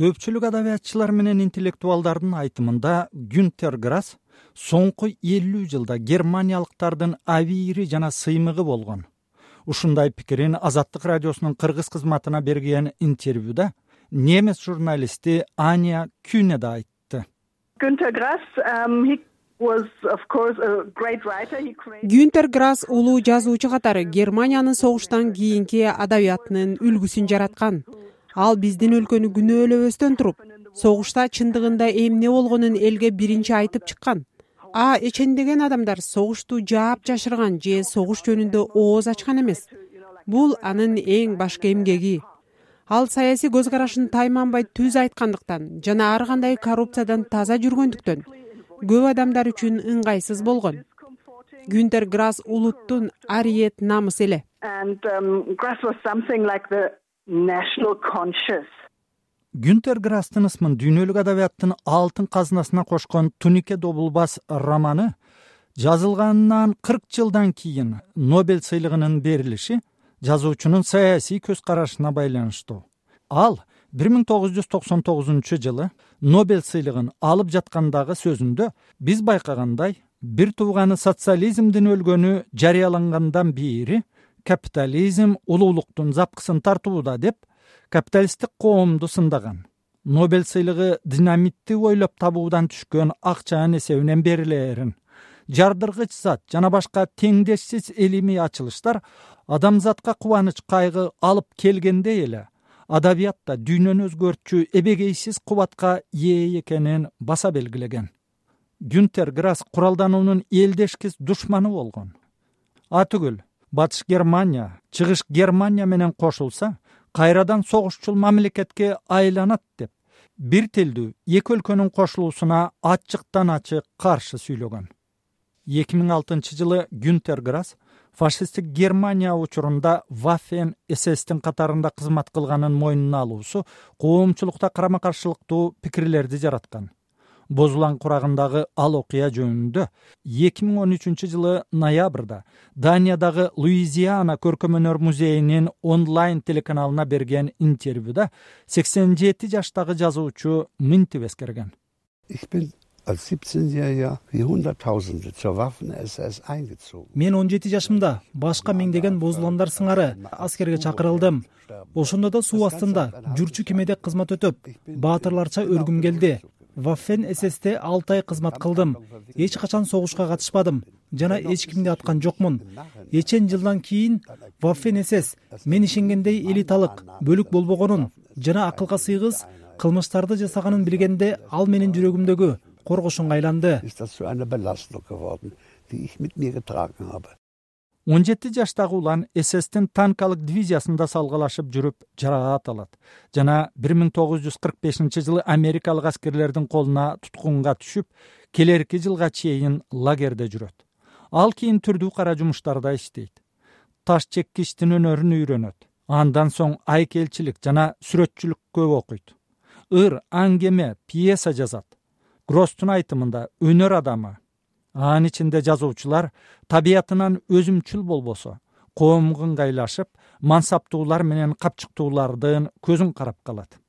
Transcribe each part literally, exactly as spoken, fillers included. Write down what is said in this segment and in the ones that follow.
Көпчүлүк адабиятчылар менен интеллектуалдардын айтымында Гюнтер Грасс соңку элүү жылда германиялыктардын абийири жана сыймыгы болгон. Ушундай пикирин Азаттык радиосунун кыргыз кызматына берген интервьюда немис журналисти Аня Kühne да айтты. Günter Grass, um, he was of course a great writer. He created Гюнтер Грасс улуу жазуучу катары Германиянын согуштан кийинки адабиятынын үлгүсүн жараткан. Ал биздин өлкөнү күнөөлөбөстөн туруп, согушта чындыгында эмне болгонун элге биринчи айтып чыккан. А эчендеген адамдар согушту жаап жашырган же согуш жөнүндө ооз ачкан эмес. Бул анын эң башкы эмгеги. Ал саясий көз карашын тайманбай түз айткандыктан жана ар кандай коррупциядан таза жүргөндүктөн көп адамдар үчүн ыңгайсыз болгон. Гюнтер Грасс улуттун ариет намысы эле. and um, Grass was something like the national conscience. Гюнтер Грасстын ысмын дүйнөлүк адабияттын алтын казынасына кошкон Тунике Добулбас романы жазылганынан кырк жылдан кийин Нобель сыйлыгынын берилиши жазуучунун саясий көз карашына байланыштуу. Ал бир миң тогуз жүз токсон тогузунчу жылы Нобель сыйлыгын алып жаткандагы сөзүндө биз байкагандай бир тууганы социализмдин өлгөнү жарыялангандан бери капитализм улуулуктун запкысын тартууда деп капиталисттик коомду сындаган. Нобель сыйлыгы динамитти ойлоп табуудан түшкөн акчанын эсебинен берилерин, жардыргыч зат жана башка теңдешсиз илимий ачылыштар адамзатка кубаныч кайгы алып келгендей эле адабиятта дүйнөнү өзгөртчү эбегейсиз кубатка ээ экенин баса белгилеген. Гюнтер Грасс куралдануунун элдешкис душманы болгон. Атүгүл Батыш Германия, Чыгыш Германия менен кошулса, кайрадан согушчул мамлекетке айланат деп, бир тилдүү эки өлкөнүн кошулуусуна ачыктан ачык каршы сүйлөгөн. эки миң алтынчы жылы Гюнтер Грасс фашисттик Германия учурунда Waffen эс эстин катарында кызмат кылганын мойнуна алуусу коомчулукта карама-каршылыктуу пикирлерди жараткан. Бозулан курагындагы ал окуя жөнүндө эки миң он үчүнчү жылы ноябрда Даниядагы Луизиана көркөм-өнөр музейинин онлайн телеканалына берген интервьюда сексен жети жаштагы жазуучу мынтип эскерген. Мен он жети жашымда башка миңдеген бозуландар сыңары аскерге чакырылдым. Ошондо да суу астында жүрчү кемеде кызмат өтөп, баатырларча өлгүм келди. Waffen эс эсте алты ай кызмат кылдым. Эч качан согушка катышпадым жана эч кимди аткан жокмун. Эчен жылдан кийин Waffen эс эс мен ишенгендей элиталык бөлүк болбогонун жана акылга сыйгыз кылмыштарды жасаганын билгенде ал менин жүрөгүмдөгү коргошунга айланды. он жети жаштагы улан эс эстин танкалык дивизиясында салгалашып жүрүп жараат алат жана бир миң тогуз жүз кырк бешинчи жылы америкалык аскерлердин колуна туткунга түшүп, келерки жылга чейин лагерде жүрөт. Ал кийин түрдүү кара жумуштарда иштейт. Таш чеккичтин өнөрүн үйрөнөт. Андан соң айкелчилик жана сүрөтчүлүккө окуйт. Ыр, аңгеме, пьеса жазат. Гросстун айтымында өнөр адамы. Анын ичинде жазуучулар табиятынан өзүмчүл болбосо, коомго ыңгайлашып, мансаптуулар менен капчыктуулардын көзүн карап калат.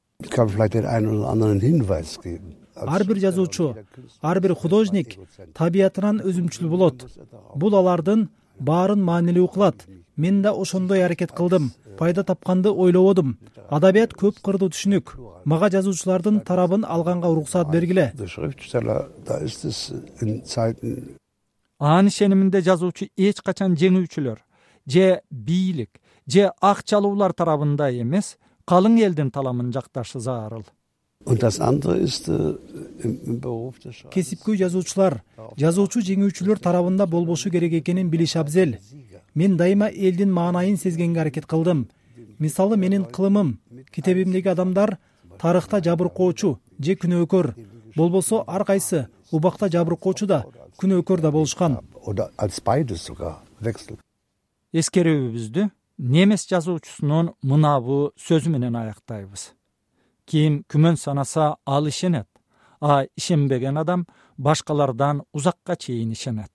Ар бир жазуучу, ар бир художник табиятынан өзүмчүл болот. Бул алардын баарын маанилүү кылат. Мен да ошондой аракет кылдым. Пайда тапканды ойлободум. Адабият көп кырдуу түшүнүк. Мага жазуучулардын тарабын алганга уруксаат бергиле. Анын ишениминде жазуучу эч качан жеңүүчүлөр же бийлик же акчалуулар тарабында эмес, калың элдин таламын жакташы зарыл. Кесипкөй жазуучулар, жазуучу жеңүүчүлөр тарабында болбошу керек экенин билиш абзел. Мен дайыма элдин маанайын сезгенге аракет кылдым. Мисалы менин кылымым, китебимдеги адамдар тарыхта жабыркоочу же күнөөкөр, болбосо ар кайсы убакта жабыркоочу да күнөөкөр да болушкан. Эскерүүбүздү немис жазуучусунун мынабу сөзү менен аяктайбыз. Ким күмөн санаса ал ишенет, а ишенбеген адам башкалардан узакка чейин ишенет.